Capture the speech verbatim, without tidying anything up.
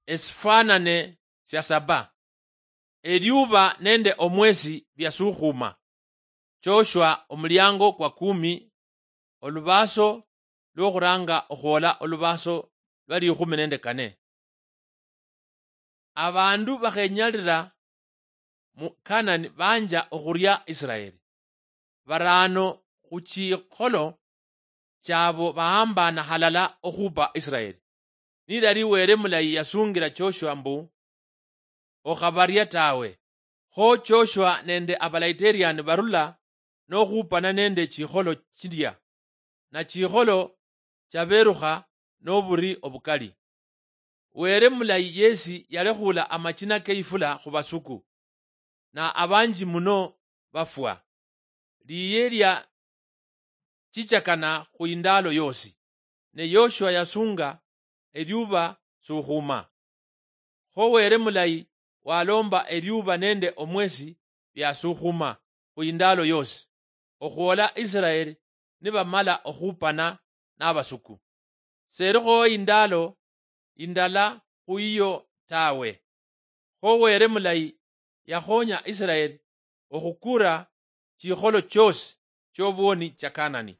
esifanane sia saba, eliuba nende omwesi biasukhuma. Joshua omuliango kwa kumi, olubaaso luokhuranga okhwola olubaaso lwa likhumi nende kane. Abandu bakhenyalira mu Kanani banja okhuria Israeli. Baraano khuchikholo chiabo bahambana halala okhupa Israeli. Nilali Wele mulayi yasungira Joshua mbu, okhabaria tawe. Kho Joshua nende abalaiterani barula nokhupana nende chikholo chilia, na chikholo chaberukha noburi obukali. Wele mulayi yesi yalekhula amachina keifula khubasuku, na abanji muno bafwa. Liye lia chichakana khu indaalo yoosi, ne Yoshua yasunga eliuba sukhuma. Kho Wele mulayi walomba eliuba nende omwesi biasukhuma khu indaalo yoosi, okhwola Israeli nibamala okhupana nabasuku. Selikho indaalo indala khu iyo tawe. Kho Wele mulayi yakhonya Israeli okhukura chikholo choosi chiobwoni cha Kanani.